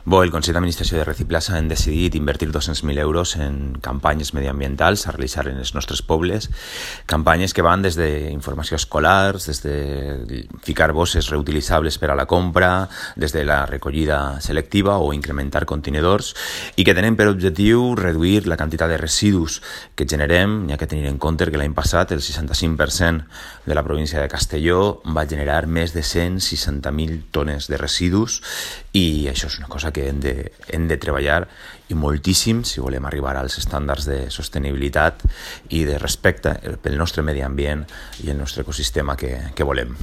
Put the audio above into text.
El Consell d'Administració de Reciplaça hem decidit invertir 200.000 euros en campanyes mediambientals a realitzar en els nostres pobles, campanyes que van des d'informació escolar, des de ficar bosses reutilitzables per a la compra, des de la recollida selectiva o incrementar contenidors, i que tenen per objectiu reduir la quantitat de residus que generem. Hi ha que tenir en compte que l'any passat el 65% de la província de Castelló va generar més de 160.000 tones de residus, i això és una cosa que hem de treballar i moltíssim si volem arribar als estàndards de sostenibilitat i de respecte pel nostre medi ambient i el nostre ecosistema que volem.